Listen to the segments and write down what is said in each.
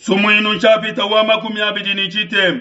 Sumuinu nshapita wa 23.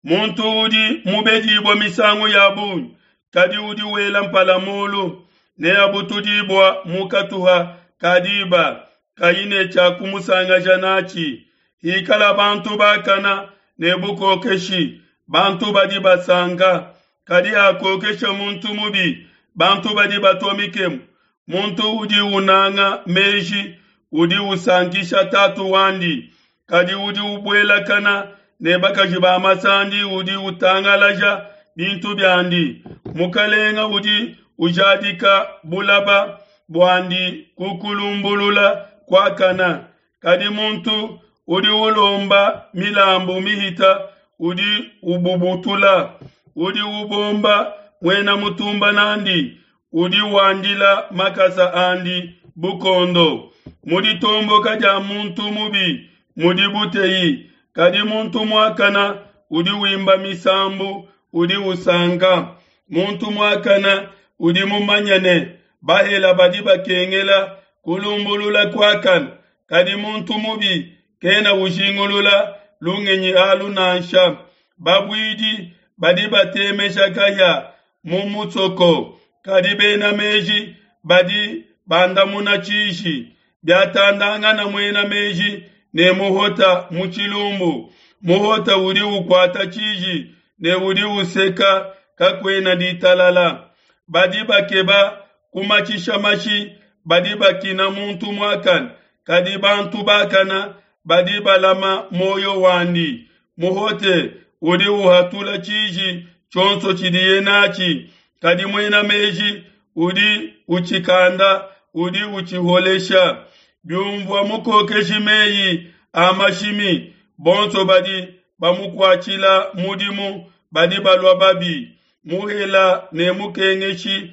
Muntu udi mubedibua misangu ya bungi, kadi udi wela mpala mulu, neabutudibua mu katuha ka diba, kayi ne tshia kumusangaja natshi. Hikala bantu bakana ne bukokeshi, bantu badi basanka, kadi hakokesha muntu mubi, bantu badi batua mikemu. Muntu udi unanga meji udi usankisha tatu wandi, kadi udi ubuelakana ne bakaji ba masandi udi utangalaja bintu biandi. Mukalenga udi ujadika bulaba buandi ku kulumbulula kuakana, kadi muntu udi ulomba milambu mihita udi ububutula. Udi ubomba muena mutumba nandi udi wandila makasa andi bukondo. Mu ditomboka dia muntu mubi mudi buteyi, kadi muntu muakana udi wimba misambu udi usanka. Muntu muakana udi mumanye ne bahela badi bakengela kulumbulula kuakana, kadi muntu mubi kena ujingulula lungenyi alu nansha. Babuidi badi batemesha kahia mu musoko, kadi bena meji badi bandamuna tshiji. Biatandangana muena meji ne muhota mu tshilumbu, muhota udi ukuata tshiji ne udi useka, kakuena ditalala. Badi bakeba kumatshisha mashi badi bakina muntu muakane, kadi bantu bakana badi balama muoyo wandi. Muhote udi uhatula tshiji tshionso tshidiye natshi, kadi muena meji udi utshikanda, udi utshiholesha. Biumvua mukokeshi meyi a mashimi, bonso badi bamukuatshila mudimu badi balua babi. Muhela ne mukengeshi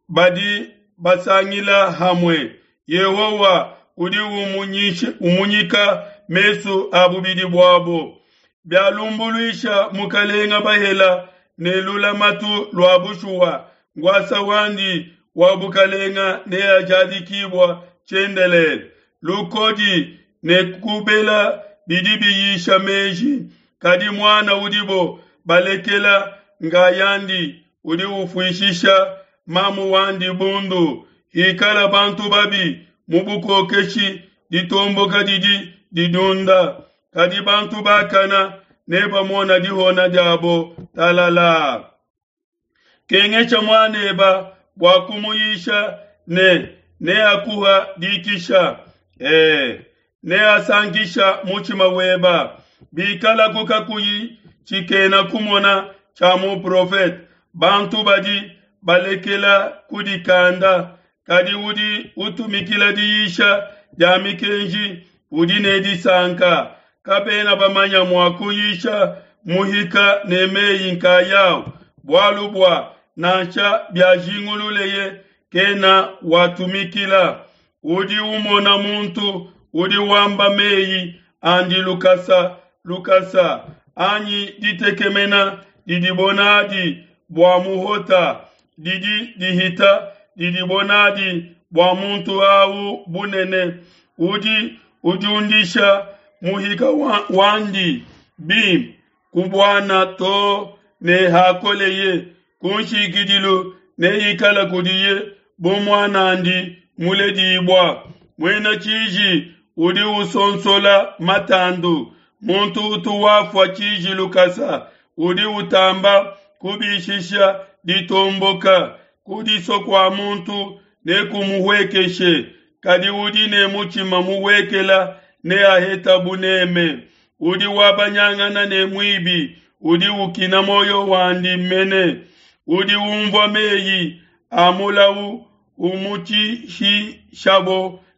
badi basangila hamue. Yehowa udi umunyika mesu a bubidi buabo. Bialumbuluisha mukalenga bahela ne lulamatu lua bushuwa, nkuasa wandi wa bukalenga neajadikibua tshiendelele. Lukodi ne kubela bidi biyisha meji, kadi muana udibo balekela nkayandi udi ufuishisha mamu wandi bundu. Hikala bantu babi mu bukokeshi, ditomboka didi didiunda, kadi bantu bakana nebamona dihona diabo talala. Kengesha muaneba bua kumuyisha ne neakuha dikisha, neasankisha mutshima weba. Bikalaku kakuyi tshikena kumona tshia muprofete, bantu badi balekela kudikanda, kadi udi utumikila diyisha dia mikenji udi ne disanka. Kabena bamanya mua kuyisha muhika ne meyi nkayao, bualu bua nansha biajingululeye kena watumikila. Udi umona muntu udi wamba meyi andi lukasa lukasa, anyi ditekemena didibo nadi bua muhota didi dihita didibo nadi bua muntu au bunene. Udi udiundisha muhika wandi bimpe ku buana too ne hakoleye, ku nshikidilu neikale kudiye bu muan'andi muledibua. Muena tshiji udi usonsola matandu, muntu utu wafua tshiji lukasa udi utamba kubishisha ditomboka. Kudisua kua muntu nekumuhuekeshe, kadi udi ne mutshima muhuekela neaheta buneme. Udi wabanyangana ne muibi udi ukina muoyo wandi mene. Udi umvua meyi a mulau umutshihisha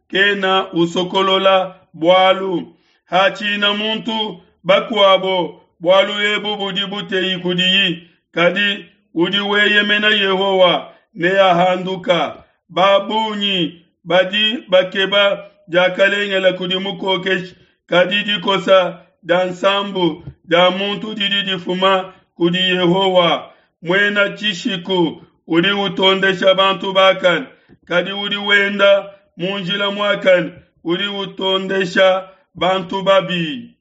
kena usokolola bualu. Hatshina muntu bakuabo, bualu ebu budi buteyi kudiyi, kadi udi weyemena Yehowa neahanduka. Ba bungi badi bakeba diakalengela kudi mukokeshi, kadi dikosa dia nsambu dia muntu didi difuma kudi Yehowa. Muena tshishiku udi utondesha bantu bakane, kadi udi wenda mu njila muakane udi utondesha bantu babi.